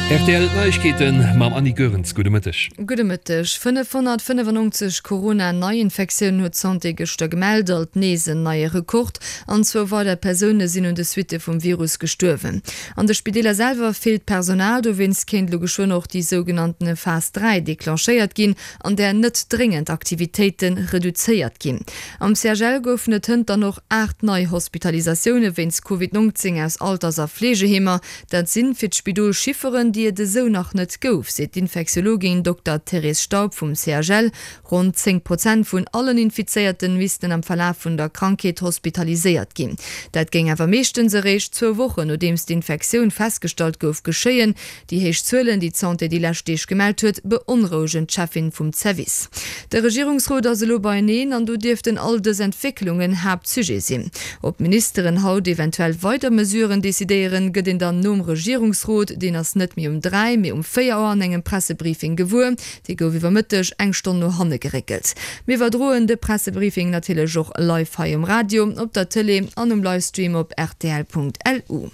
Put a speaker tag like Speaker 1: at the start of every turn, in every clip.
Speaker 1: Rtl Neiegkeeten mam Annie Goerens. Gudde Mëtteg.
Speaker 2: Gudde Mëtteg. 595 Corona-Neiinfektiounen huet d'Santé gëschter gemellt, alt nees en neie Rekord. An zwou weider Persoune sinn un de Suitte vum Virus gestuerwen. An de Spideeler selwer feelt d'Personal, dowéinst kéint elo geschwënn och déi sougenannten Phas 3 declenchéiert ginn, an där net dréngend Aktivitéite reduzéiert ginn. Am CHL goufen et hënt dann och 8 nei Hospitalisatioune wéinst Covid 19 aus Alters a Fleegeheemer. Dat sinn fir d'Spidol Chifferen, déi et esou nach net gouf, seet d'Infektiologin Dokter Thérèse Staub vum CHL. Ronn 10 Prozent vun allen Infizéierten missten am Verlaf vun der Krankheet hospitaliséiert ginn. Dat géing awer meeschtens eréischt zwou Wochen nodeems d'Infektioun festgestallt gouf geschéien. Déi héich Zuelen, déi d'Santé déi lescht Deeg gemellt huet, beonrouegen d'Cheffin vum Zerwiss. De Regierungsrot ass elo beieneen an do dierften all dës Entwécklungen Haaptsujet sinn. Ob d'Ministeren haut eventuell weider Mesuren decidéieren, gëtt een dann nom Regierungsrot, deen ass net méi um 3, mee um 4 Auer an engem Pressebriefing gewuer. Dee gouf iwwer Mëtteg eng Stonn no hanne geréckelt. Mir iwwerdroen de Pressebriefing natierlech och live hei um Radio, op der Tëlee an um Livestream op rtl.lu.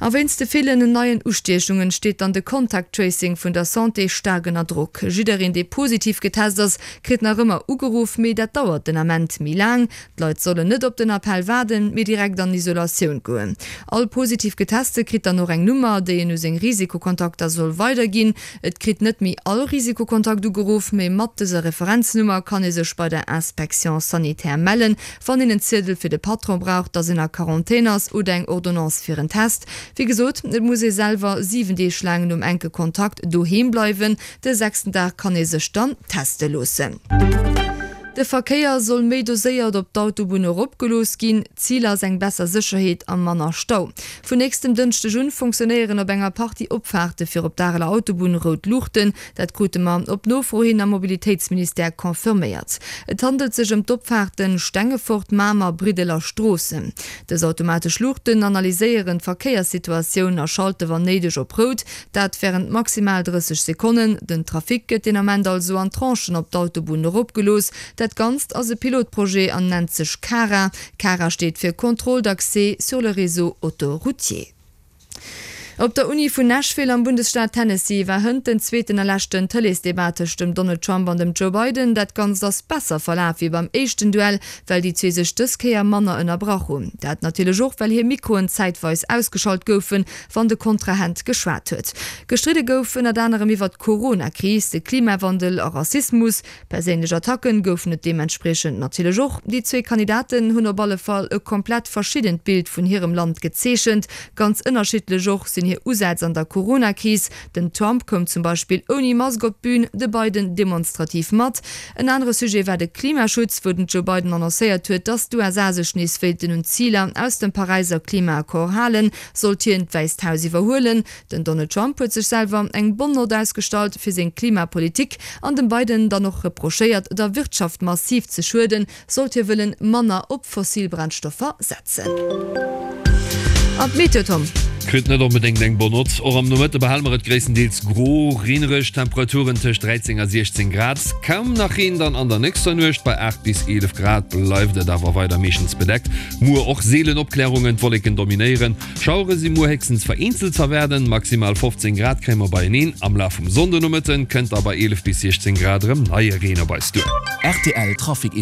Speaker 2: A wéinst de villen neien Ustiechungen steet dann de Contact Tracing vun der Santé staark ënner Drock. Jiddereen dee positiv getest ass, kritt nach ëmmer ugeruff, mee dat dauert den Ament méi laang. D'Leit sollen net op den Appell waarden, mee direkt an Isolatioun goen. All positiv Geteste kritt dann och eng Nummer, déi en u seng Risikokontakter soll weiderginn. Et kritt net méi all Risikokontakt ugeruff, mee mat dëser Referenznummer kann ee sech bei der Inspection sanitaire mellen, wann een en Ziedel fir de Patron brauch, dass een a Quarantän ass oder eng Ordonnance fir en Test. Wéi gesot, et muss ee selwer 7 Deeg laang nom enke Kontakt doheem bleiwen. De sechsten Dag kann ee sech dann teste loossen. De Verkéier soll méi doséiert op d'Autobunn eropgelooss ginn. Zil ass eng besser Sécherheet a manner Stau. Vun nächstem Dënschdeg un fonctionnéieren op enger Partie Opfaarte fir op d'Areler Autobunn rout Luuchten. Dat krute mer op Nofro hin am Mobilitéitsministère confirméiert. Et handelt sech ëm d'Opfaarten Stengefort, Mamer, Briddel a Stroossen. Dës automatesch Luuchten analyséieren d'Verkéierssituatioun a schalte wann néideg op rout. Dat wärend maximal 30 Sekonnen. Den Trafic gëtt deen Ament also an Tranchen op d'Autobunn eropgelooss. Dat Ganzt ass e Pilotprojet an nennt sech CARA. CARA steet fir Contrôle d'accès sur le réseau autoroutier. Op der Uni vun Nashville am Bundesstaat Tennessee war hënt den zweeten a leschten Tëleesdebat tëscht dem Donald Trump an dem Joe Biden. Dat Ganzt ass besser verlaf wéi beim éischten Duell, well déi zwee sech dës Kéier manner ënnerbrach hunn. Dat natierlech och, well hir Mikroen zäitweis ausgeschalt goufen, wann de Kontrahent geschwat huet. Gestridde gouf ënnert anerem iwwer d'Corona-Kris, de Klimawandel a Rassismus. Perséinlech Attacken goufen et deementspriechend natierlech och. Déi zwee Kandidaten hunn op alle Fall e komplett verschiddent Bild vun hirem Land gezeechent. Ganz ënnerschiddlech och sinn hir Usätz an der Corona-Kris. Den Trump koum zum Beispill ouni Mask op d'Bün, de Biden demonstrativ mat. En anere Sujet war de Klimaschutz, wou den Joe Biden annoncéiert huet, datt d'USA sech nees wéilten un d'Ziler aus dem Paräiser Klimaaccord halen. Sollt hien d'Wäisst Haus iwwerhuelen? Den Donald Trump huet sech selwer eng bonne Note ausgestallt fir seng Klimapolitik an dem Biden dann och reprochéiert, der Wirtschaft massiv ze schueden, sollt hie wëllen manner op fossil Brennstoffer setzen. An d'Meteo, Tom?
Speaker 1: Kritt net onbedéngt eng bonne Note. Och am Nomëtte behale mer et gréisstendeels gro, reenereg, Temperaturen tëscht 13 a 16 Grad. Kaum nach Reen dann an der nächster Nuecht, bei 8 bis 11 Grad bleift et awer weider meeschtens bedeckt. Muer och seelen Opklärungen, d'Wolleken dominéieren. Schauere si muer héchstens vereenzelt z'erwaarden. Maximal 15 Grad kréie mer beieneen. Am Laf vum Sonndenomëtte kënnt da bei 11 bis 16 Grad erëm neie Reen op eis duer.
Speaker 3: Rtl Trafic.